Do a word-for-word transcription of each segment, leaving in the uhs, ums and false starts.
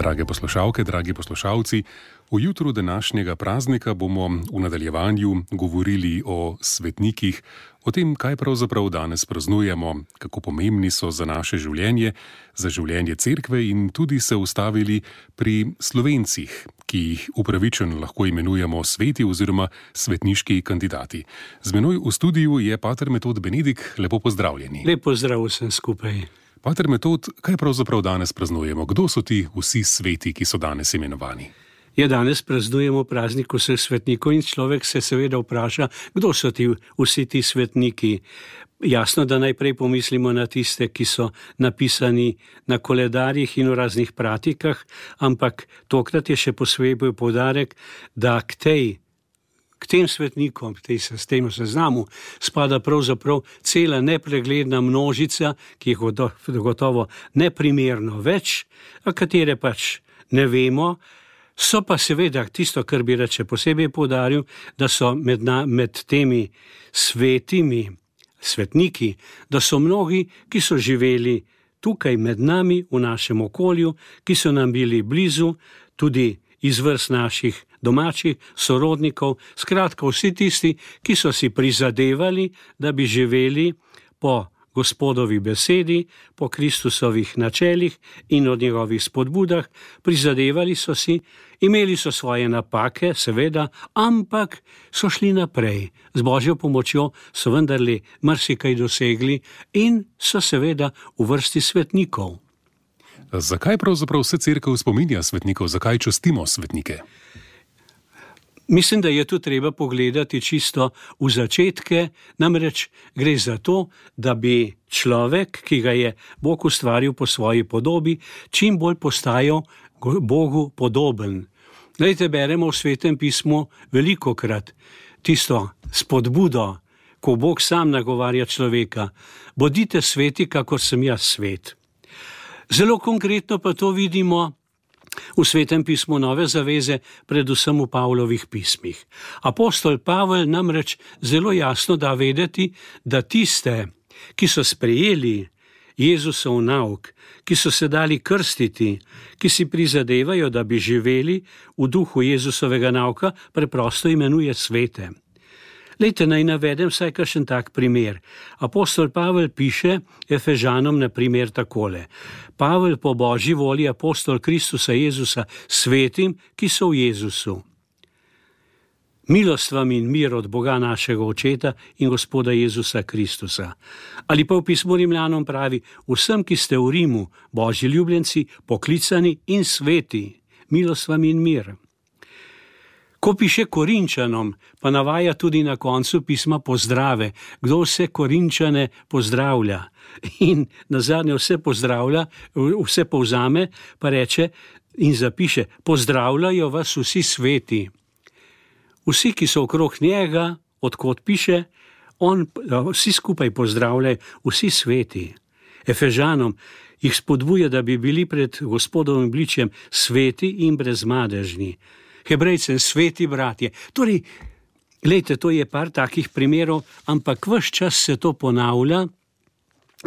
Drage poslušalke, dragi poslušalci, v jutru današnjega praznika bomo v nadaljevanju govorili o svetnikih, o tem, kaj pravzaprav danes praznujemo, kako pomembni so za naše življenje, za življenje cerkve in tudi se ustavili pri Slovencih, ki jih upravičeno lahko imenujemo sveti oziroma svetniški kandidati. Z menoj v studiu je pater Metod Benedik, lepo pozdravljeni. Lepo zdrav vsem skupaj. Pater Metod, kaj pravzaprav danes praznujemo? Kdo so ti vsi sveti, ki so danes imenovani? Ja, danes praznujemo praznik vseh svetnikov in človek se seveda vpraša, kdo so ti vsi ti svetniki. Jasno, da najprej pomislimo na tiste, ki so napisani na koledarjih in v raznih pratikah, ampak tokrat je še posebej poudarek, da k tej K tem svetnikom, k tej sistemu seznamu, spada pravzaprav cela nepregledna množica, ki jih gotovo neprimerno več, a katere pač ne vemo. So pa seveda tisto, kar bi reče posebej poudaril, da so med, na, med temi svetimi svetniki, da so mnogi, ki so živeli tukaj med nami, v našem okolju, ki so nam bili blizu, tudi iz vrst naših domačih sorodnikov, skratka vsi tisti, ki so si prizadevali, da bi živeli po Gospodovi besedi, po Kristusovih načelih in od njegovih spodbudah, prizadevali so si, imeli so svoje napake, seveda, ampak so šli naprej. Z Božjo pomočjo so vendarle marsikaj dosegli in so seveda v vrsti svetnikov. Zakaj pravzaprav vse cerkev spominja svetnikov? Zakaj častimo svetnike? Mislim, da je tu treba pogledati čisto v začetke, namreč gre za to, da bi človek, ki ga je Bog ustvaril po svoji podobi, čim bolj postajal Bogu podoben. Glejte, beremo v Svetem pismu velikokrat tisto spodbudo, ko Bog sam nagovarja človeka: bodite sveti, kakor sem jaz svet. Zelo konkretno pa to vidimo v Svetem pismu Nove zaveze, predvsem v Pavlovih pismih. Apostol Pavel namreč zelo jasno da vedeti, da tiste, ki so sprejeli Jezusov nauk, ki so se dali krstiti, ki si prizadevajo, da bi živeli v duhu Jezusovega nauka, preprosto imenuje svete. Lejte, naj navedem vsaj kakšen tak primer. Apostol Pavel piše Efežanom na primer takole: Pavel po Božji volji, apostol Kristusa Jezusa, svetim, ki so v Jezusu. Milost vam in mir od Boga našega Očeta in Gospoda Jezusa Kristusa. Ali pa v pismu Rimljanom pravi: vsem, ki ste v Rimu, Božji ljubljenci, poklicani in sveti, milost vam in mir. Ko piše Korinčanom, pa navaja tudi na koncu pisma pozdrave, kdo vse Korinčane pozdravlja. In nazadnje vse pozdravlja, vse povzame, pa reče in zapiše: pozdravljajo vas vsi sveti. Vsi, ki so okrog njega, odkot piše, on, vsi skupaj pozdravljajo, vsi sveti. Efežanom jih spodbuja, da bi bili pred Gospodovim obličjem sveti in brezmadežni. Hebrejcem sveti bratje. Torej, glejte, to je par takih primerov, ampak ves čas se to ponavlja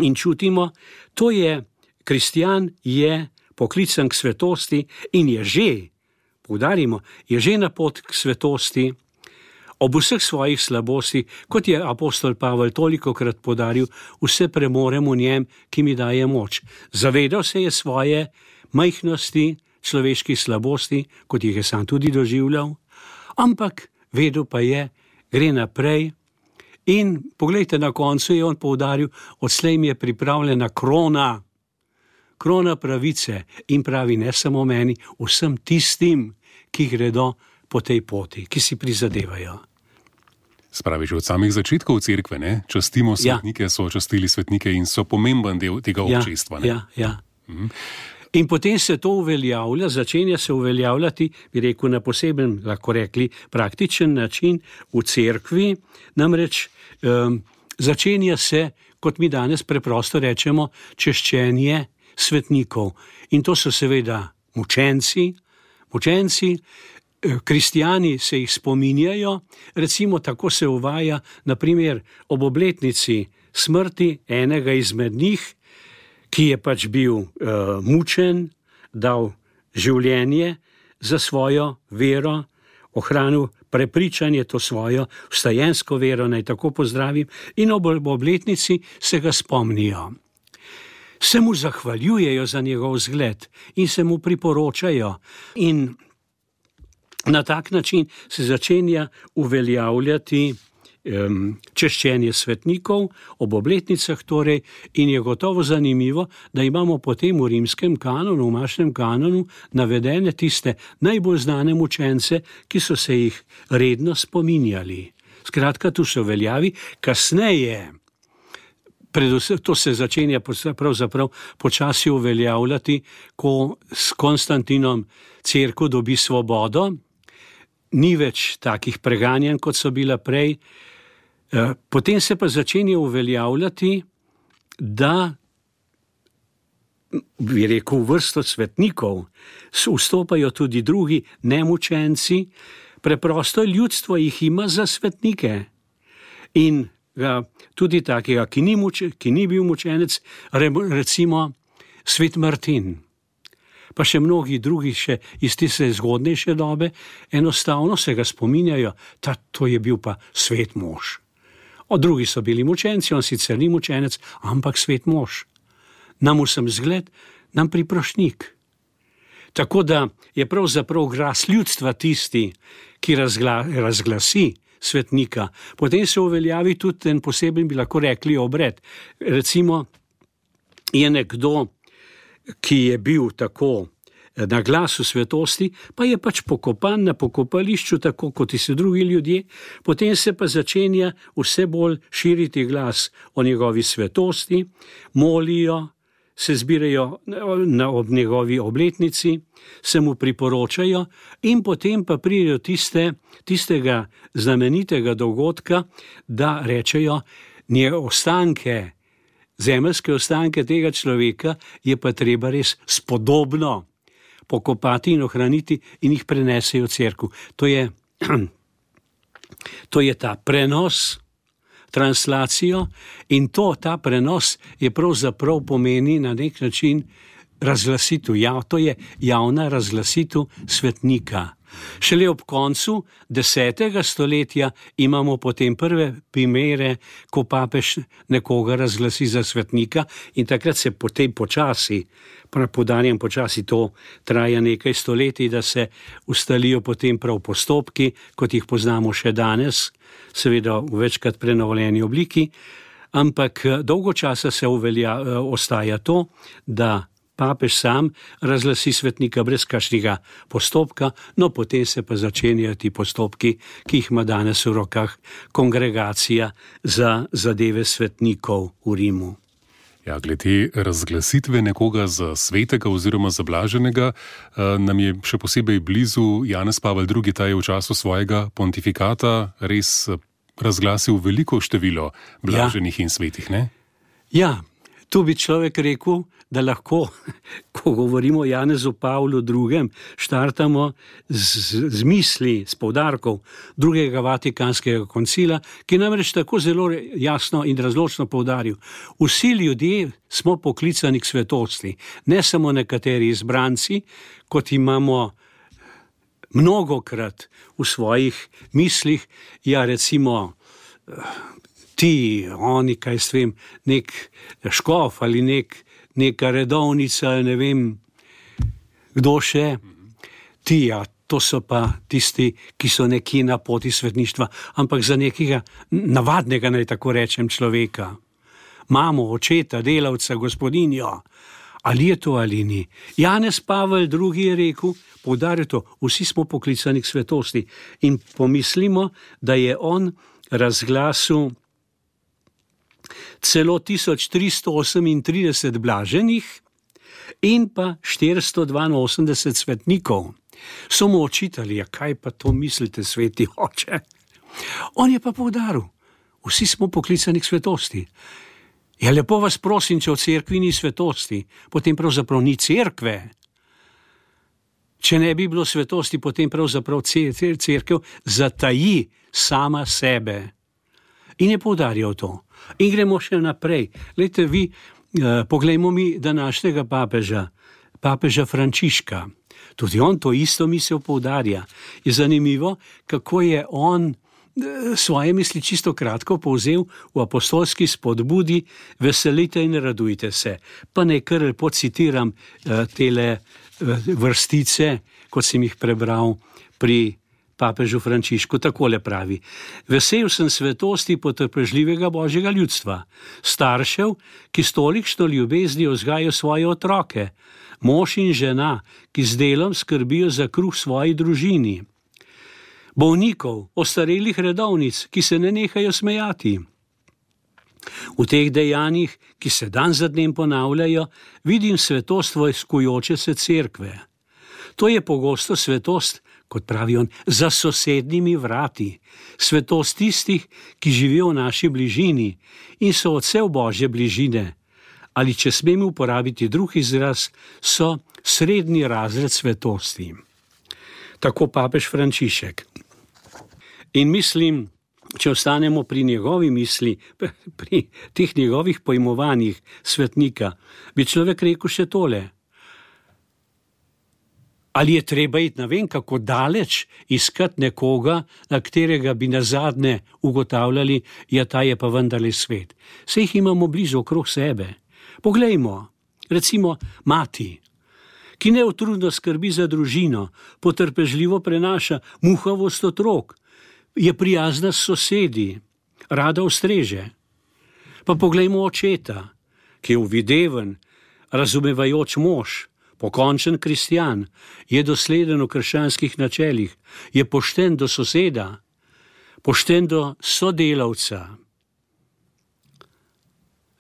in čutimo, to je, kristjan je poklican k svetosti in je že, poudarimo, je že na pot k svetosti, ob vseh svojih slabosti, kot je apostol Pavel tolikokrat podaril, vse premorem v njem, ki mi daje moč. Zavedal se je svoje majhnosti, človeških slabosti, kot jih je sam tudi doživljal, ampak vedel pa je, gre naprej in poglejte, na koncu je on poudaril: odslej mi je pripravljena krona, krona pravice, in pravi ne samo meni, vsem tistim, ki gredo po tej poti, ki si prizadevajo. Spravi, že od samih začetkov cerkve, ne? Častimo svetnike, ja. So častili svetnike in so pomemben del tega občestva. Ne? Ja, ja. Mhm. In potem se to uveljavlja, začenja se uveljavljati, bi rekel, na poseben, lahko rekli, praktičen način v cerkvi, namreč um, začenja se, kot mi danes preprosto rečemo, češčenje svetnikov. In to so seveda mučenci, mučenci, kristjani se jih spominjajo, recimo tako se uvaja, na primer, ob obletnici smrti enega izmed njih, ki je pač bil uh, mučen, dal življenje za svojo vero, ohranil prepričanje, to svojo vstajensko vero, naj tako pozdravim, in ob obletnici se ga spomnijo. Se mu zahvaljujejo za njegov zgled in se mu priporočajo, in na tak način se začenja uveljavljati um, češčenje svetnikov ob obletnicah torej, in je gotovo zanimivo, da imamo potem v rimskem kanonu, v mašnem kanonu, navedene tiste najbolj znane mučence, ki so se jih redno spominjali. Skratka, tu se uveljavi, kasneje, predvsem to se začenja pravzaprav počasi uveljavljati, ko s Konstantinom cerkev dobi svobodo, ni več takih preganjanj, kot so bila prej. Potem se pa začenja uveljavljati, da, bi rekel, v vrsto svetnikov vstopajo tudi drugi nemučenci, preprosto ljudstvo jih ima za svetnike. In ga, tudi takega, ki ni, muče, ki ni bil mučenec, recimo svet Martin, pa še mnogi drugi še iz tiste zgodnejše dobe, enostavno se ga spominjajo, da to je bil pa svet mož. O drugi so bili mučenci, on sicer ni mučenec, ampak svet mož. Nam vsem zgled, nam priprošnik. Tako da je pravzaprav glas ljudstva tisti, ki razgla, razglasi svetnika. Potem se uveljavi tudi en poseben, bi lahko rekli, obred. Recimo je nekdo, ki je bil tako na glasu svetosti, pa je pač pokopan na pokopališču, tako kot vsi drugi ljudje, potem se pa začenja vse bolj širiti glas o njegovi svetosti, molijo, se zbirajo na, ob njegovi obletnici, se mu priporočajo in potem pa pridejo tiste, tistega znamenitega dogodka, da rečejo, nje ostanke, zemeljske ostanke tega človeka je pa treba res spodobno pokopati in ohraniti in jih prenesejo v cerkev. To je, to je ta prenos, translacijo, in to, ta prenos je pravzaprav pomeni na nek način razglasitev, ja, to je javna razglasitev svetnika. Šele ob koncu desetega stoletja imamo potem prve primere, ko papež nekoga razglasi za svetnika, in takrat se potem počasi, podarjam počasi, to traja nekaj stoletij, da se ustalijo potem prav postopki, kot jih poznamo še danes, seveda v večkrat prenovljeni obliki, ampak dolgo časa se uvelja, ostaja to, da papež sam razglasi svetnika brez kakšnega postopka, no potem se pa začenjajo ti postopki, ki jih ima danes v rokah kongregacija za zadeve svetnikov v Rimu. Ja, glede razglasitve nekoga za svetega oziroma za blaženega, nam je še posebej blizu Janez Pavel drugi, ta je v času svojega pontifikata res razglasil veliko število blaženih ja. in svetih, ne? Ja, tu bi človek rekel, da lahko, ko govorimo o Janezu Pavlu drugem, štartamo z, z misli, s poudarkov drugega Vatikanskega koncila, ki namreč tako zelo jasno in razločno poudaril. Vsi ljudje smo poklicani k svetosti, ne samo nekateri izbranci, kot imamo mnogokrat v svojih mislih, ja recimo ti, oni, kaj s vem, nek škof ali nek neka redovnica, ne vem, kdo še, ti, ja, to so pa tisti, ki so nekje na poti svetništva, ampak za nekega navadnega, naj tako rečem, človeka. Mamo, očeta, delavca, gospodinjo, ali je to ali ni. Janez Pavel drugi je rekel, poudaril to, vsi smo poklicani k svetosti, in pomislimo, da je on razglasil celo tisoč tristo osemintrideset blaženih in pa štiristo dvainosemdeset svetnikov. So mu očitali, ja kaj pa to mislite, sveti oče? On je pa poudaril, vsi smo poklicani k svetosti. Ja, lepo vas prosim, če v cerkvi ni svetosti, potem pravzaprav ni cerkve. Če ne bi bilo svetosti, potem pravzaprav cerkev zataji sama sebe. In je poudarjal to. In gremo še naprej. Glejte vi, eh, poglejmo mi današnjega papeža, papeža Frančiška. Tudi on to isto misel poudarja. Je zanimivo, kako je on svoje misli čisto kratko povzel v apostolski spodbudi: veselite in radujte se. Pa naj kar lepo citiram tele vrstice, kot sem jih prebral pri papežu Frančišku. Takole pravi: vesel sem svetosti potrpežljivega Božjega ljudstva, staršev, ki s tolikšno ljubeznijo vzgajajo svoje otroke, mož in žena, ki z delom skrbijo za kruh svoji družini, bolnikov, ostarelih redovnic, ki se ne nehajo smejati. V teh dejanjih, ki se dan za dnem ponavljajo, vidim svetost vojskujoče se cerkve. To je pogosto svetost, kot pravi on, za sosednjimi vrati, svetost tistih, ki živijo v naši bližini in so odsev Božje bližine, ali če smem uporabiti drug izraz, so srednji razred svetosti. Tako papež Frančišek. In mislim, če ostanemo pri njegovi misli, pri teh njegovih pojmovanjih svetnika, bi človek rekel še tole: ali je treba iti na vem kako daleč iskati nekoga, na katerega bi nazadnje ugotavljali, ja, ta je pa vendarle svet. Saj jih imamo blizu okrog sebe. Poglejmo, recimo mati, ki neutrudno skrbi za družino, potrpežljivo prenaša muhavost otrok, je prijazna s sosedi, rada ustreže. Pa poglejmo očeta, ki je uvideven, razumevajoč mož, pokončen kristjan, je dosleden v krščanskih načelih, je pošten do soseda, pošten do sodelavca.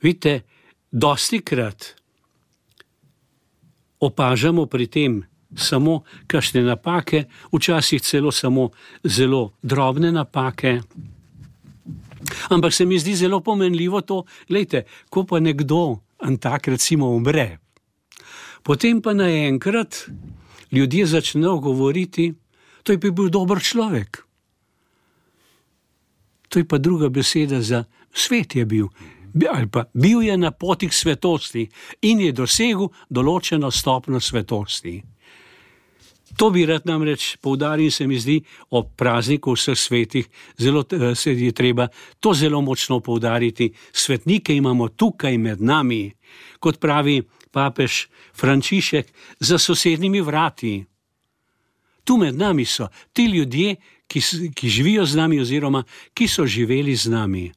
Vidite, dostikrat opažamo pri tem samo kakšne napake, včasih celo samo zelo drobne napake. Ampak se mi zdi zelo pomenljivo to, glejte, ko pa nekdo en tak recimo umre, potem pa naenkrat ljudje začnejo govoriti, to je pa bil dober človek. To je pa druga beseda za svet je bil. Ali pa bil je na poti k svetosti in je dosegel določeno stopnjo svetosti. To bi rad namreč poudaril, se mi zdi, ob prazniku vseh svetih, zelo se je treba to zelo močno poudariti. Svetnike imamo tukaj med nami, kot pravi papež Frančišek, za sosednjimi vrati. Tu med nami so ti ljudje, ki, ki živijo z nami oziroma ki so živeli z nami.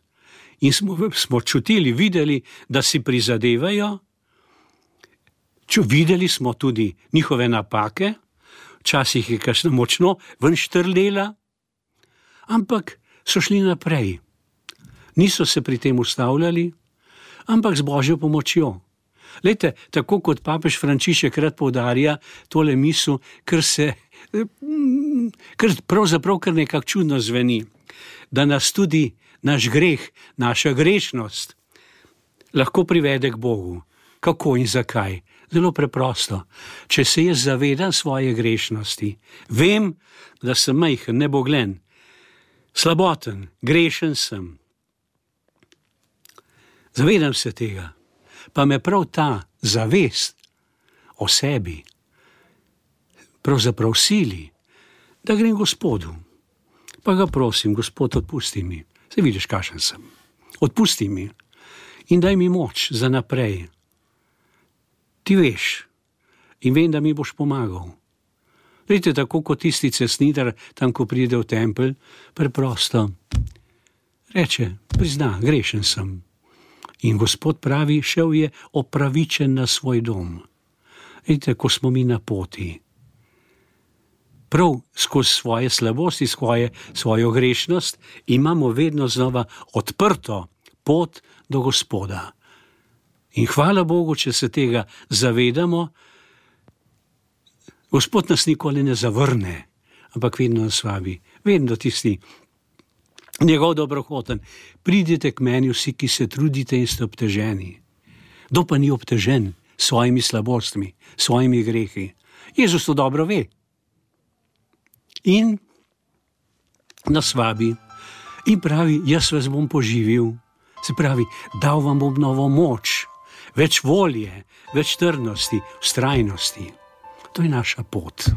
In smo, smo čutili, videli, da si prizadevajo, Ču, videli smo tudi njihove napake, včasih je kakšna močno ven štrlela, ampak so šli naprej. Niso se pri tem ustavljali, ampak z Božjo pomočjo. Lejte, tako kot papež Frančišek rad poudarja tole misel, ker se, ker pravzaprav kar nekako čudno zveni, da nas tudi naš greh, naša grešnost lahko privede k Bogu. Kako in zakaj? Zelo preprosto. Če se jaz zavedam svoje grešnosti, vem, da sem majhen, neboglen, slaboten, grešen sem. Zavedam se tega, pa me prav ta zavest o sebi pravzaprav sili, da grem Gospodu. Pa ga prosim, Gospod, odpusti mi. Saj vidiš, kakšen sem. Odpusti mi in daj mi moč za naprej. Ti veš in vem, da mi boš pomagal. Vidite, tako kot tisti cestnitar, tam, ko pride v tempelj, preprosto reče, prizna, grešen sem. In Gospod pravi, šel je opravičen na svoj dom. Vidite, ko smo mi na poti. Prav skozi svoje slabosti, svoje, svojo grešnost, imamo vedno znova odprto pot do Gospoda. In hvala Bogu, če se tega zavedamo, Gospod nas nikoli ne zavrne, ampak vedno nas vabi, vedno tisti njegov dobrohoten. Pridite k meni vsi, ki se trudite in ste obteženi. Kdo pa ni obtežen s svojimi slabostmi, s svojimi grehi? Jezus to dobro ve. In nas vabi in pravi, jaz vas bom poživil. Se pravi, dal vam bom novo moč, več volje, več trdnosti, vztrajnosti. To je naša pot.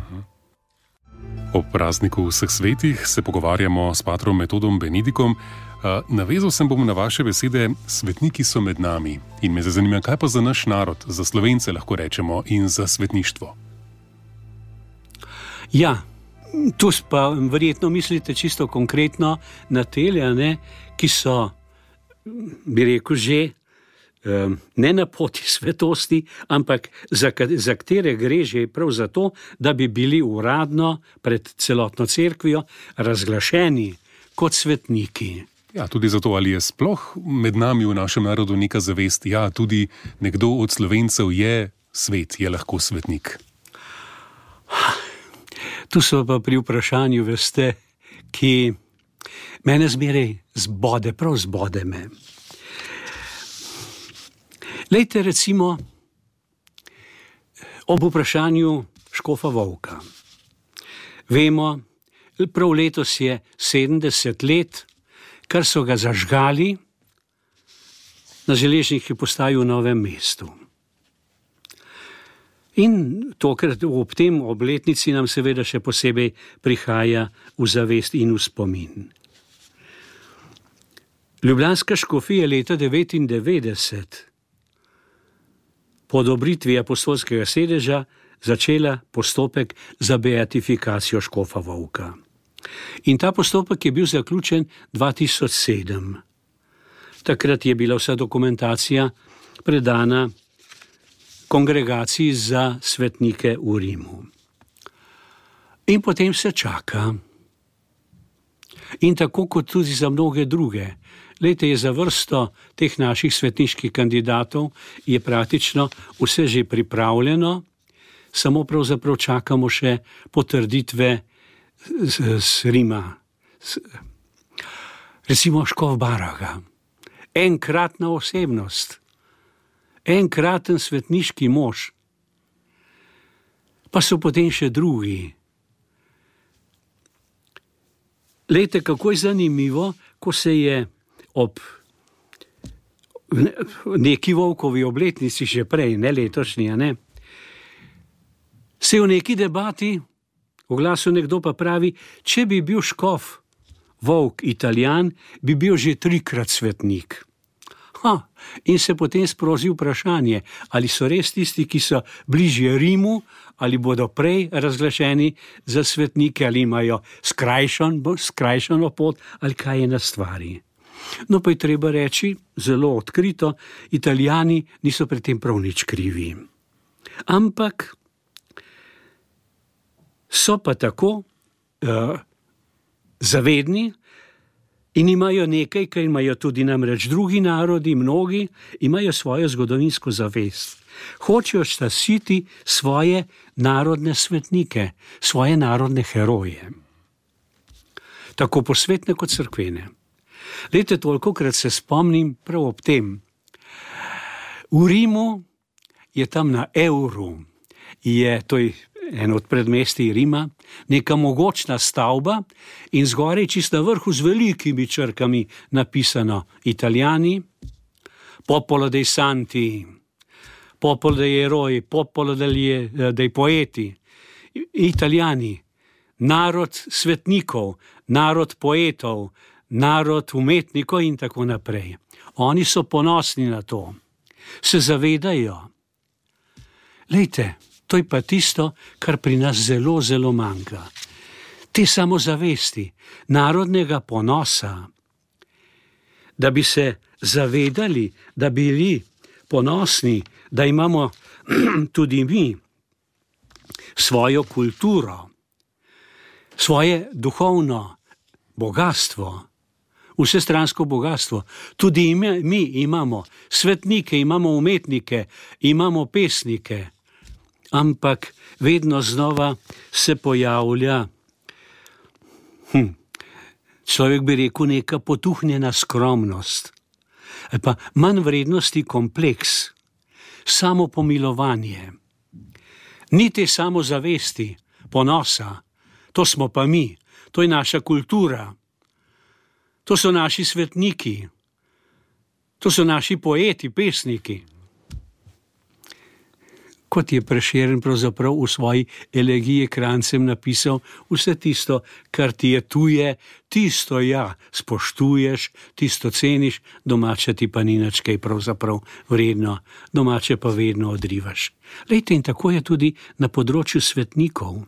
O prazniku vseh svetih se pogovarjamo s patrom Metodom Benedikom. Navezal sem bom na vaše besede, svetniki so med nami. In me zanima, kaj pa za naš narod, za Slovence lahko rečemo in za svetništvo? Ja, tu pa verjetno mislite čisto konkretno na tele, ne, ki so, bi rekel, že ne na poti svetosti, ampak za, za katere gre že prav zato, da bi bili uradno pred celotno cerkvijo razglašeni kot svetniki. Ja, tudi zato, ali je sploh med nami v našem narodu neka zavest, ja, tudi nekdo od Slovencev je svet, je lahko svetnik. Tu so pa pri vprašanju, veste, ki mene zmeraj zbode, prav zbode me. Lejte recimo ob vprašanju škofa Vovka. Vemo, prav letos je sedemdeset let, kar so ga zažgali na železniški postaji v Novem mestu. In tokrat ob tem obletnici nam seveda še posebej prihaja v zavest in v spomin. Ljubljanska škofija leta devetindevetdeset po odobritvi apostolskega sedeža začela postopek za beatifikacijo škofa Vovka. In ta postopek je bil zaključen dva tisoč sedem. Takrat je bila vsa dokumentacija predana kongregaciji za svetnike v Rimu. In potem se čaka. In tako kot tudi za mnoge druge. Lejte, je za vrsto teh naših svetniških kandidatov je praktično vse že pripravljeno, samo pravzaprav čakamo še potrditve z, z Rima. Z, recimo škof Baraga. Enkratna osebnost. Enkraten svetniški mož. Pa so potem še drugi. Lejte, kako je zanimivo, ko se je ob neki Vovkovi obletnici že prej, ne letošnji, ne, se v neki debati oglasil nekdo pa pravi, če bi bil škof Vovk Italijan, bi bil že trikrat svetnik. Ha, in se potem sproži vprašanje, ali so res tisti, ki so bližje Rimu, ali bodo prej razglašeni za svetnike, ali imajo skrajšan, skrajšano pot, ali kaj je na stvari. No, pa je treba reči, zelo odkrito, Italijani niso pri tem prav nič krivi. Ampak so pa tako uh, zavedni in imajo nekaj, kar imajo tudi namreč drugi narodi, mnogi, imajo svojo zgodovinsko zavest. Hočejo ščititi svoje narodne svetnike, svoje narodne heroje. Tako posvetne kot cerkvene. Lejte, tolikokrat se spomnim prav ob tem. V Rimu je tam na Evru, je, to je en od predmestij Rima, neka mogočna stavba in zgoraj čisto na vrhu z velikimi črkami napisano Italijani, popolo dei santi, popolo dei eroi, popolo dei, dei poeti. Italijani, narod svetnikov, narod poetov, narod umetnikov in tako naprej. Oni so ponosni na to. Se zavedajo. Lejte, to je pa tisto, kar pri nas zelo, zelo manjka. Te samozavesti, narodnega ponosa, da bi se zavedali, da bi bili ponosni, da imamo tudi mi svojo kulturo, svoje duhovno bogatstvo, vsestransko bogatstvo. Tudi mi imamo svetnike, imamo umetnike, imamo pesnike, ampak vedno znova se pojavlja, hm, človek bi rekel, neka potuhnjena skromnost, ali pa manj vrednosti kompleks, samopomilovanje. Ni te samozavesti, ponosa, to smo pa mi, to je naša kultura, to so naši svetniki, to so naši poeti, pesniki. kot je Prešeren pravzaprav v svoji elegiji krancem napisal, vse tisto, kar ti je tuje, tisto ja, spoštuješ, tisto ceniš, domače ti pa ni nič kaj pravzaprav vredno, domače pa vedno odrivaš. Lejte, in tako je tudi na področju svetnikov.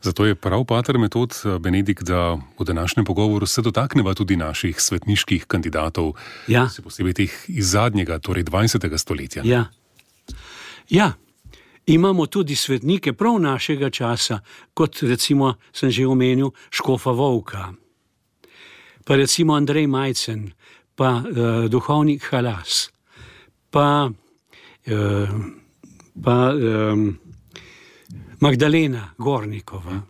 Zato je prav pater Metod Benedikt, da v današnjem pogovoru se dotakneva tudi naših svetniških kandidatov, Ja. se posebej teh iz zadnjega, torej dvajsetega stoletja. Ja. Ja, imamo tudi svetnike prav našega časa, kot recimo sem že omenil škofa Vovka, pa recimo Andrej Majcen, pa uh, duhovnik Halas, pa, uh, pa um, Magdalena Gornikova.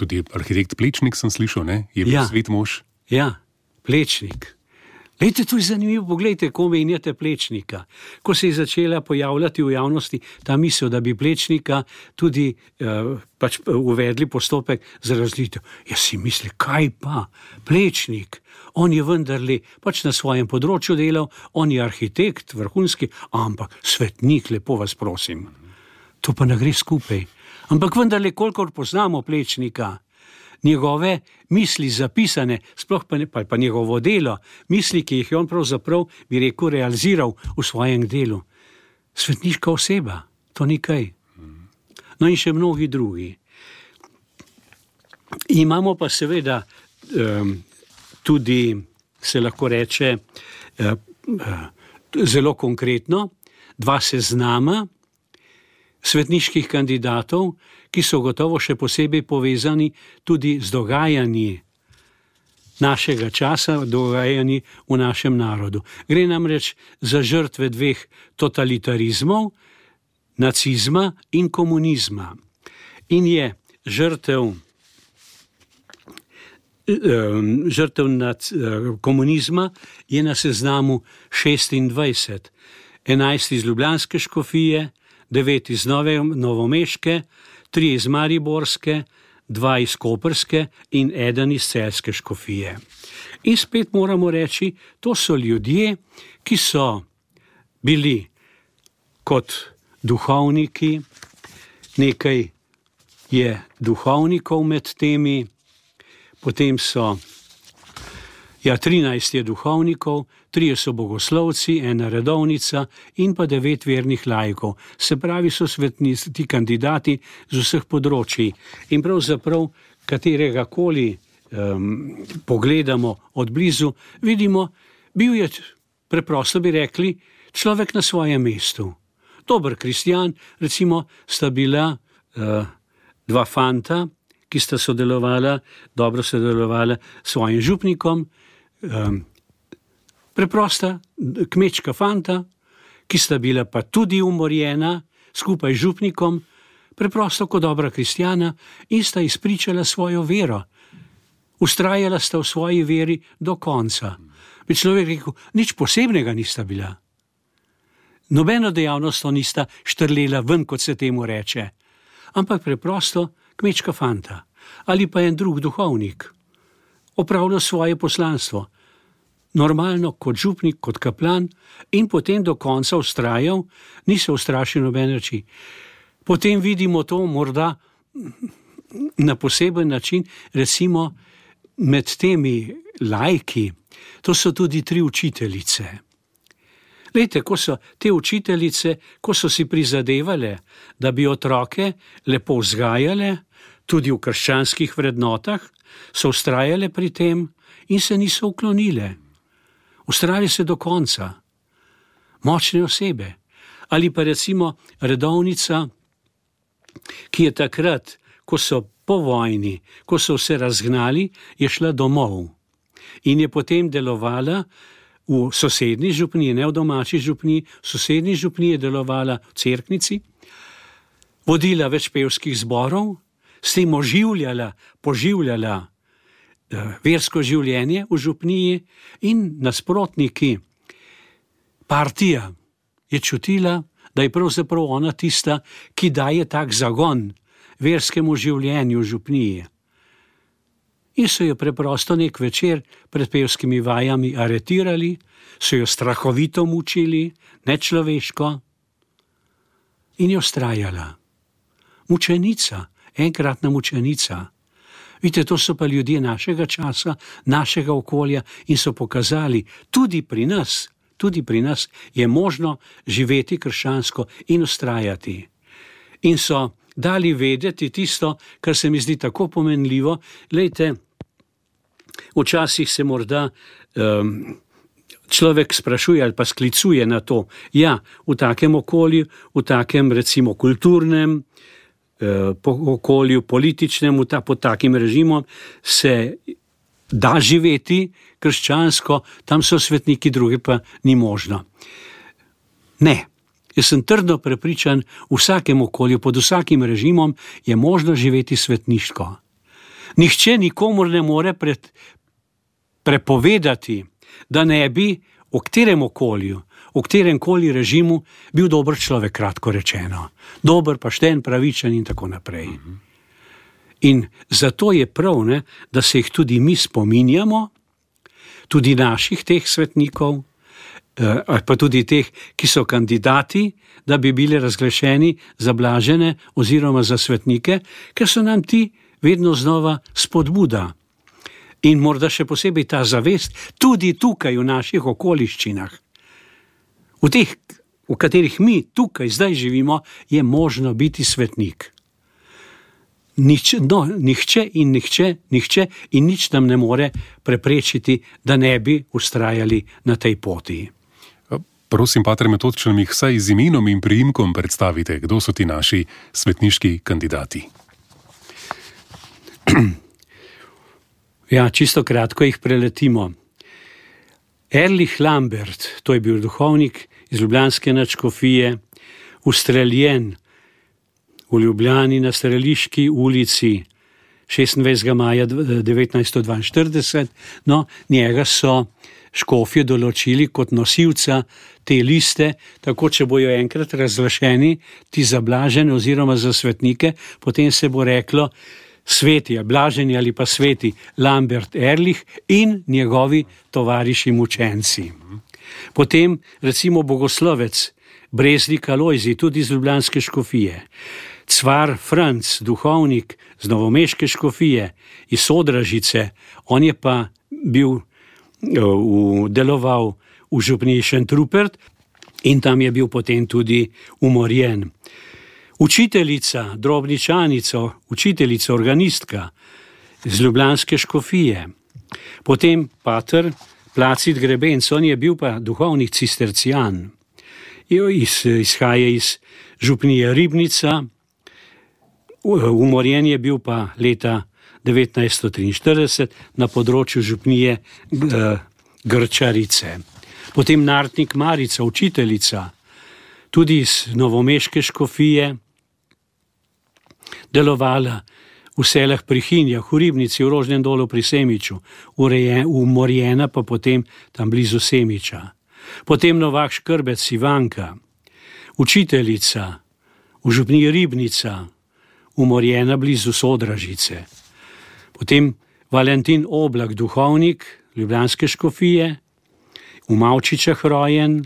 Tudi arhitekt Plečnik sem slišal, ne? Je bil Ja. svet mož. Ja, Plečnik. Lejte, to je zanimivo, poglejte, ko menjate Plečnika. Ko se je začela pojavljati v javnosti ta misel, da bi Plečnika tudi uh, pač uvedli postopek za razlitev. Jaz si mislim, kaj pa, Plečnik, on je vendarle pač na svojem področju delal, on je arhitekt, vrhunski, ampak svetnik, lepo vas prosim. To pa ne gre skupaj. Ampak vendarle, kolikor poznamo Plečnika, njegove misli zapisane, sploh pa, ne, pa, pa njegovo delo, misli, ki jih je on pravzaprav, bi rekel, realiziral v svojem delu. Svetniška oseba, to ni kaj. No in še mnogi drugi. Imamo pa seveda um, tudi, se lahko reče, uh, uh, zelo konkretno, dva seznama svetniških kandidatov, ki so gotovo še posebej povezani tudi z dogajanji našega časa, dogajanji v našem narodu. Gre namreč za žrtve dveh totalitarizmov, nacizma in komunizma. In je žrtev, žrtev nad, komunizma je na seznamu šestindvajset, enajst iz ljubljanske škofije, devet iz Nove, novomeške, tri iz mariborske, dva iz koprske in eden iz celjske škofije. In spet moramo reči, to so ljudje, ki so bili kot duhovniki, nekaj je duhovnikov med temi, potem so, ja, trinajst je duhovnikov, trije so bogoslovci, ena redovnica in pa devet vernih laikov. Se pravi, so svetnici, ti kandidati z vseh področji. In pravzaprav, katerega koli um, pogledamo od blizu, vidimo, bil je, preprosto bi rekli, človek na svojem mestu. Dober kristjan, recimo, sta bila uh, dva fanta, ki sta sodelovala, dobro sodelovala s svojim župnikom, um, preprosta kmečka fanta, ki sta bila pa tudi umorjena skupaj z župnikom, preprosto kot dobra kristjana in sta izpričala svojo vero. Ustrajala sta v svoji veri do konca. Bi človek rekel, nič posebnega nista bila. Nobeno dejavnost nista štrlela ven, kot se temu reče, ampak preprosto kmečka fanta ali pa en drug duhovnik opravljal svoje poslanstvo. Normalno kot župnik, kot kaplan in potem do konca ustrajal, ni se ustrašil nobene reči. Potem vidimo to morda na poseben način, recimo med temi laiki, to so tudi tri učiteljice. Lejte, ko so te učiteljice, ko so si prizadevale, da bi otroke lepo vzgajale, tudi v krščanskih vrednotah, so ustrajale pri tem in se niso uklonile. Ustrajali se do konca. Močne osebe. Ali pa recimo redovnica, ki je takrat, ko so po vojni, ko so se razgnali, je šla domov in je potem delovala v sosednji župniji, ne v domači župniji, v sosednji župniji je delovala v cerknici, vodila več pevskih zborov, s tem oživljala, poživljala versko življenje v župniji in nasprotniki. Partija je čutila, da je pravzaprav ona tista, ki daje tak zagon verskemu življenju v župniji. in so jo preprosto nek večer pred pevskimi vajami aretirali, so jo strahovito mučili, nečloveško, in je vztrajala. Mučenica, enkratna mučenica. Vidite, to so pa ljudje našega časa, našega okolja in so pokazali, tudi pri nas, tudi pri nas je možno živeti krščansko in vztrajati. In so dali vedeti tisto, kar se mi zdi tako pomenljivo. Glejte, včasih se morda um, človek sprašuje ali pa sklicuje na to, ja, v takem okolju, v takem recimo kulturnem uh, okolju, političnem, ta, pod takim režimom se da živeti krščansko, tam so svetniki, druge pa ni možno. Ne. Jaz sem trdno prepričan, v vsakem okolju, pod vsakim režimom je možno živeti svetniško. Nihče nikomur ne more pred, prepovedati, da ne bi v katerem okolju, v katerem koli režimu bil dober človek, kratko rečeno. Dober, pošten, pravičen in tako naprej. In zato je prav, ne, da se jih tudi mi spominjamo, tudi naših teh svetnikov, ali pa tudi teh, ki so kandidati, da bi bili razglašeni za blažene oziroma za svetnike, ker so nam ti vedno znova spodbuda. In morda še posebej ta zavest, tudi tukaj v naših okoliščinah, v teh, v katerih mi tukaj zdaj živimo, je možno biti svetnik. Nič, no, nihče in nihče, nihče in nič nam ne more preprečiti, da ne bi vztrajali na tej poti. Prosim, pater Metod, če nam jih vsaj z imenom in priimkom predstavite, kdo so ti naši svetniški kandidati. Ja, čisto kratko jih preletimo. Erlich Lambert, to je bil duhovnik iz ljubljanske nadškofije, ustreljen v Ljubljani na Streliški ulici šestindvajsetega maja devetnajststo dvainštirideset, no, njega so škofje določili kot nosilca te liste, tako če bojo enkrat razglašeni ti za blažene oziroma za svetnike, potem se bo reklo sveti, blaženi ali pa sveti Lambert Erlich in njegovi tovariši mučenci. Potem recimo bogoslovec Breznik Alojzij, tudi iz ljubljanske škofije, Cvar Franc, duhovnik z novomeške škofije, iz Sodražice, on je pa bil V, deloval v župniji Šentrupert in tam je bil potem tudi umorjen. Učiteljica, drobničanica, učiteljica, organistka iz ljubljanske škofije. Potem pater Placid Grebenc, on je bil pa duhovnik cistercijan. Iz, izhaja iz župnije Ribnica, umorjen je bil pa leta devetnajststo triinštirideset na področju župnije Grčarice. Potem Nartnik Marica, učiteljica, tudi iz novomeške škofije, delovala v selah pri Hinjah, v Ribnici, v Rožnem dolu pri Semiču, umorjena pa potem tam blizu Semiča. Potem Novak Škrbec Ivanka, učiteljica v župniji Ribnica, umorjena blizu Sodražice. Potem Valentin Oblak, duhovnik ljubljanske škofije, v Mavčičah rojen,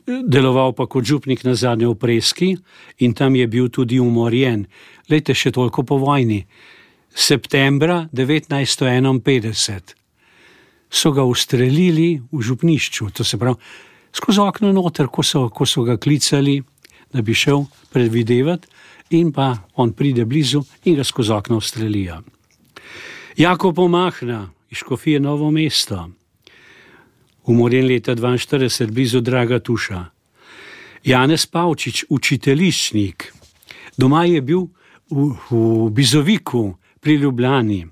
deloval pa kot župnik nazadnje v Preski in tam je bil tudi umorjen. Lejte, še toliko po vojni. Septembra devetnajststo enainpetdeset so ga ustrelili v župnišču, to se pravi, skozi okno noter, ko so, ko so ga klicali, da bi šel predvidevati, in pa on pride blizu in ga skozi okno ustrelijo. Jakob Omahna iz škofije Novo mesto, umorjen leta dvainštirideset blizu Dragatuša. Janez Pavčič, učiteljiščnik, doma je bil v, v Bizoviku pri Ljubljani,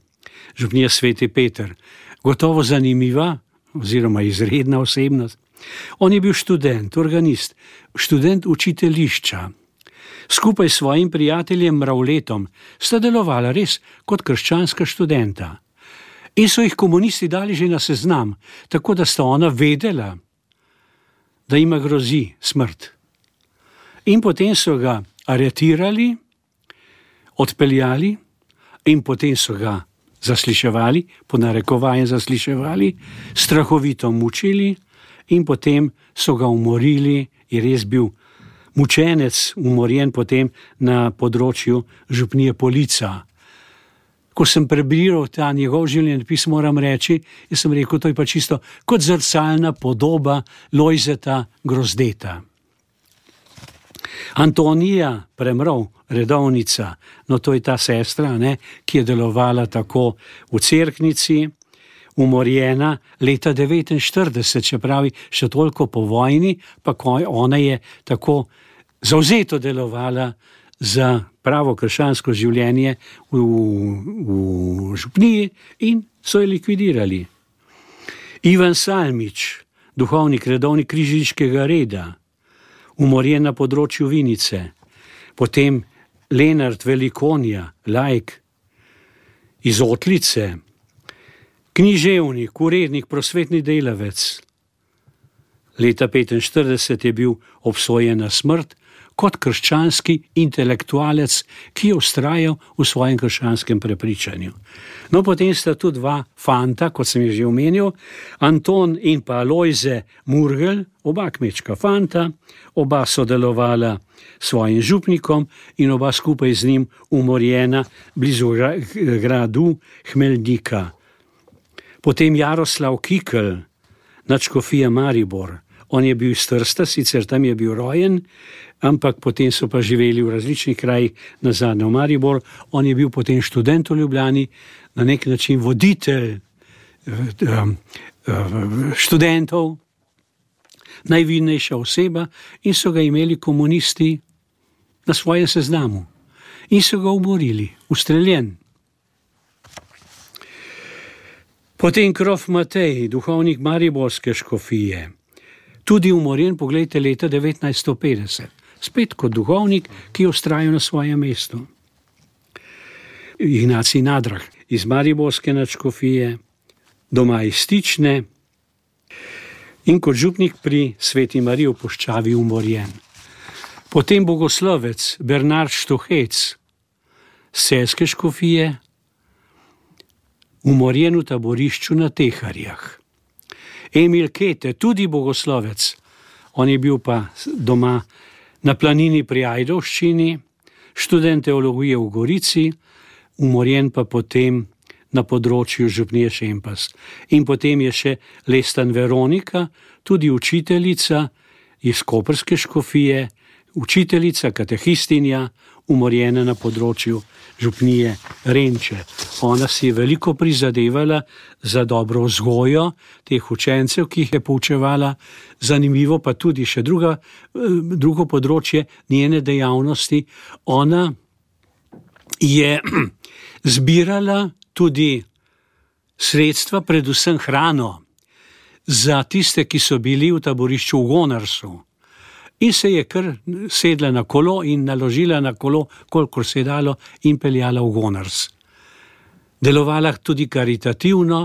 župnija Sveti Peter, gotovo zanimiva oziroma izredna osebnost. On je bil študent, organist, študent učiteljišča. Skupaj s svojim prijateljem Mravletom sta delovala res kot krščanska študenta. In so jih komunisti dali že na seznam, tako da sta ona vedela, da ima grozi smrt. In potem so ga aretirali, odpeljali in potem so ga zasliševali, po narekovajem zasliševali, strahovito mučili in potem so ga umorili, je res bil mučenec, umorjen potem na področju župnije Polica. Ko sem prebiral ta njegov življenjepis, moram reči, jaz sem rekel, to je pa čisto kot zrcalna podoba Lojzeta Grozdeta. Antonija Premrov, redovnica, no to je ta sestra, ne, ki je delovala tako v Cerknici, umorjena leta devetinštirideset, čeprav še toliko po vojni, pa ona je tako zavzeto delovala za pravo krščansko življenje v, v župniji in so jo likvidirali. Ivan Salmič, duhovnik, redovnik križiškega reda, umorjen na področju Vinice. Potem Lenart Velikonja, laik iz Otlice, književnik, urednik, prosvetni delavec. Leta petinštirideset je bil obsojen na smrt kot krščanski intelektualec, ki je vztrajal v svojem krščanskem prepričanju. No, potem sta tu dva fanta, kot sem jih že omenil, Anton in pa Lojze Murgel, oba kmečka fanta, oba sodelovala s svojim župnikom in oba skupaj z njim umorjena blizu gradu Hmeljnika. Potem Jaroslav Kikl, nadškofija Maribor. On je bil iz Trsta, sicer tam je bil rojen, ampak potem so pa živeli v različnih krajih, nazadnje v Maribor. On je bil potem študent v Ljubljani, na nek način voditelj študentov, najvidnejša oseba in so ga imeli komunisti na svojem seznamu. In so ga umorili, ustreljen. Potem Krof Matej, duhovnik mariborske škofije, tudi umorjen, poglejte, leta devetnajststo petdeset. Spet kot duhovnik, ki je vztrajal na svojem mestu. Ignacij Nadrah iz mariborske nadškofije, doma iz Stične in kot župnik pri Sveti Mariji v Puščavi umorjen. Potem bogoslovec Bernard Štuhec z celjske škofije, umorjen v taborišču na Teharjah. Emil Kete, tudi bogoslovec, on je bil pa doma na planini pri Ajdovščini, študent teologije v Gorici, umorjen pa potem na področju župnije Šempas. In potem je še Lestan Veronika, tudi učiteljica iz koprske škofije, učiteljica, katehistinja, umorjena na področju župnije Renče. Ona si je veliko prizadevala za dobro vzgojo teh učencev, ki jih je poučevala. Zanimivo pa tudi še druga, drugo področje njene dejavnosti. Ona je zbirala tudi sredstva, predvsem hrano, za tiste, ki so bili v taborišču v Gonarsu. In se je kar sedla na kolo in naložila na kolo, kolikor se je dalo, in peljala v Gonars. Delovala tudi karitativno,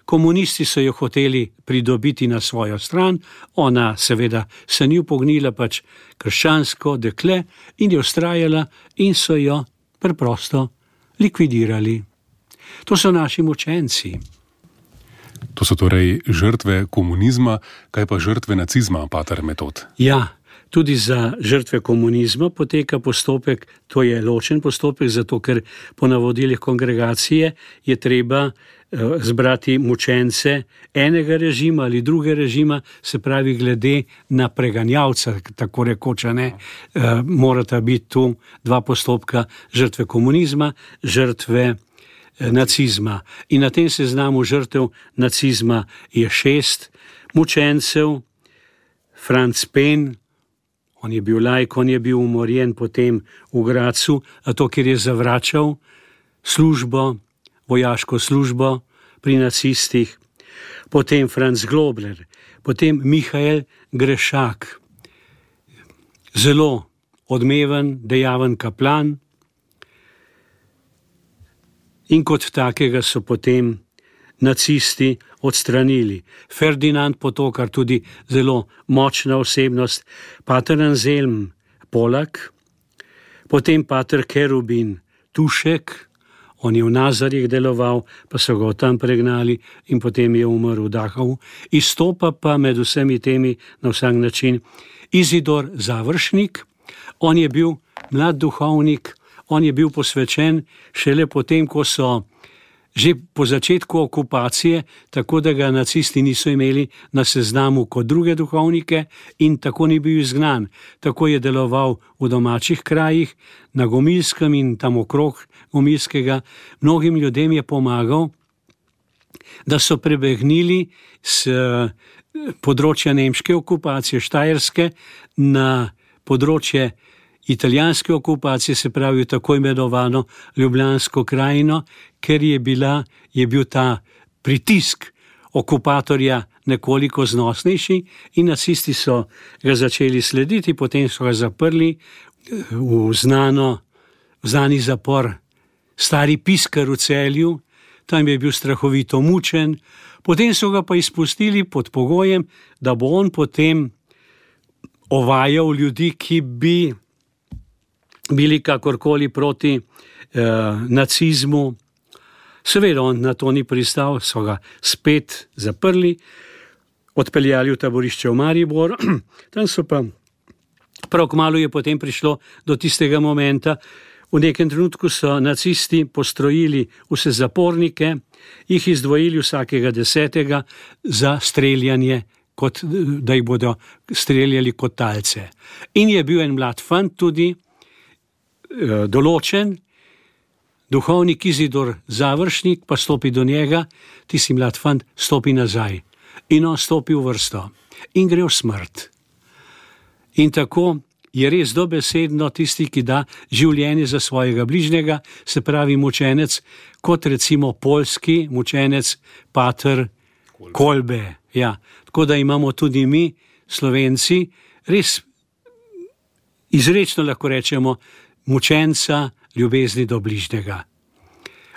komunisti so jo hoteli pridobiti na svojo stran, ona seveda se ni upognila, pač krščansko dekle, in je vztrajala in so jo preprosto likvidirali. To so naši mučenci. To so torej žrtve komunizma, kaj pa žrtve nacizma, pater Metod? Ja, tudi za žrtve komunizma poteka postopek, to je ločen postopek, zato ker po navodilih kongregacije je treba zbrati mučence enega režima ali druge režima, se pravi glede na preganjavca, tako rekoč, ne, morata biti tu dva postopka, žrtve komunizma, žrtve nacizma. In na tem seznamu žrtev nacizma je šest mučencev. Franc Pen, on je bil laik, on je bil umorjen potem v Gracu, zato ker je zavračal službo, vojaško službo pri nacistih. Potem Franc Globler, potem Mihael Grešak, zelo odmeven, dejaven kaplan, in kot takega so potem nacisti odstranili. Ferdinand Potokar, tudi zelo močna osebnost, pater Anselm Polak, potem pater Kerubin Tušek, On je v Nazarih deloval, pa so ga tam pregnali in potem je umrl v Dachavu. Izstopa pa med vsemi temi na vsak način Izidor Završnik. On je bil mlad duhovnik, on je bil posvečen šele potem, ko so že po začetku okupacije, tako da ga nacisti niso imeli na seznamu kot druge duhovnike in tako ni bil izgnan. Tako je deloval v domačih krajih, na Gomilskem in tam okrog Gomilskega. Mnogim ljudem je pomagal, da so prebegnili s področja nemške okupacije Štajerske na področje italijanske okupacije, se pravi tako imenovano Ljubljansko krajino, ker je, bila, je bil ta pritisk okupatorja nekoliko znosnejši in nacisti so ga začeli slediti, potem so ga zaprli v znano, v znani zapor Stari Piskar v Celju, tam je bil strahovito mučen, potem so ga pa izpustili pod pogojem, da bo on potem ovajal ljudi, ki bi bili kakorkoli proti eh, nacizmu. Seveda on na to ni pristal, so ga spet zaprli, odpeljali v taborišče v Maribor. Tam so pa prav kmalu je potem prišlo do tistega momenta. V nekem trenutku so nacisti postrojili vse zapornike, jih izdvojili vsakega desetega za streljanje, kot, da jih bodo streljali kot talce. In je bil en mlad fant tudi eh, določen, duhovnik Izidor Završnik pa stopi do njega, tisti mlad fant stopi nazaj in on stopi v vrsto in gre v smrt. In tako je res dobesedno tisti, ki da življenje za svojega bližnjega, se pravi mučenec, kot recimo poljski mučenec pater Kolbe. Kolbe. Ja. Tako da imamo tudi mi, Slovenci, res izrečno lahko rečemo mučenca ljubezni do bližnjega.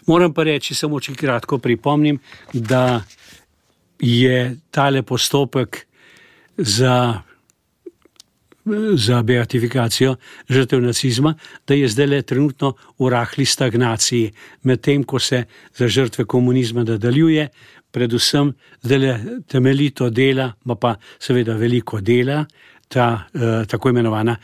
Moram pa reči, samo če kratko pripomnim, da je tale postopek za, za beatifikacijo žrtev nacizma, da je zdaj le trenutno v rahli stagnaciji, medtem ko se za žrtve komunizma nadaljuje, predvsem zdaj le temeljito dela, ma pa seveda veliko dela, ta eh, tako imenovana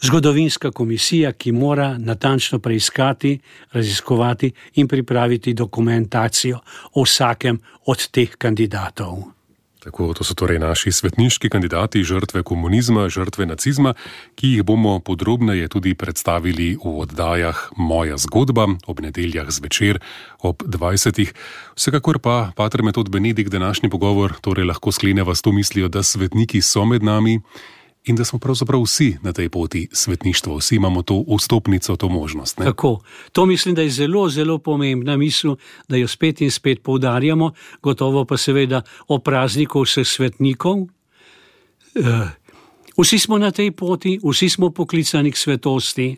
zgodovinska komisija, ki mora natančno preiskati, raziskovati in pripraviti dokumentacijo o vsakem od teh kandidatov. Tako, to so torej naši svetniški kandidati, žrtve komunizma, žrtve nacizma, ki jih bomo podrobneje tudi predstavili v oddajah Moja zgodba ob nedeljah zvečer ob dvajsetih. Vsekakor pa, pater Metod Benedikt, današnji pogovor torej lahko skleneva s to mislijo, da svetniki so med nami in da smo pravzaprav vsi na tej poti svetništva, vsi imamo to vstopnico, to možnost. Ne? Tako, to mislim, da je zelo, zelo pomembna misel, da jo spet in spet poudarjamo, gotovo pa seveda o prazniku vseh svetnikov. Vsi smo na tej poti, vsi smo poklicani k svetosti.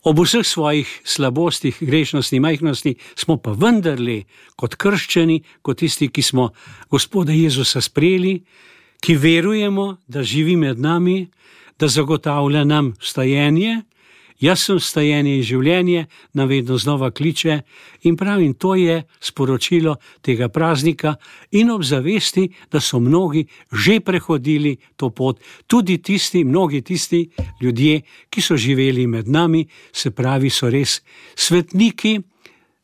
Ob vseh svojih slabostih, grešnosti, majhnosti smo pa vendarle kot krščeni, kot tisti, ki smo Gospoda Jezusa sprejeli, ki verujemo, da živi med nami, da zagotavlja nam vstajenje, jaz sem vstajenje in življenje, nam vedno znova kliče in pravim, to je sporočilo tega praznika in ob zavesti, da so mnogi že prehodili to pot, tudi tisti, mnogi tisti ljudje, ki so živeli med nami, se pravi, so res svetniki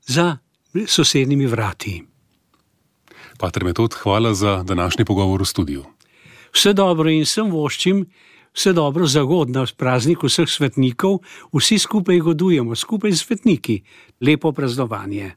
za sosednjimi vrati. Pater Metod, hvala za današnji pogovor v studiu. Vse dobro in sem voščim, vse dobro za god na praznik vseh svetnikov, vsi skupaj godujemo, skupaj s svetniki. Lepo praznovanje.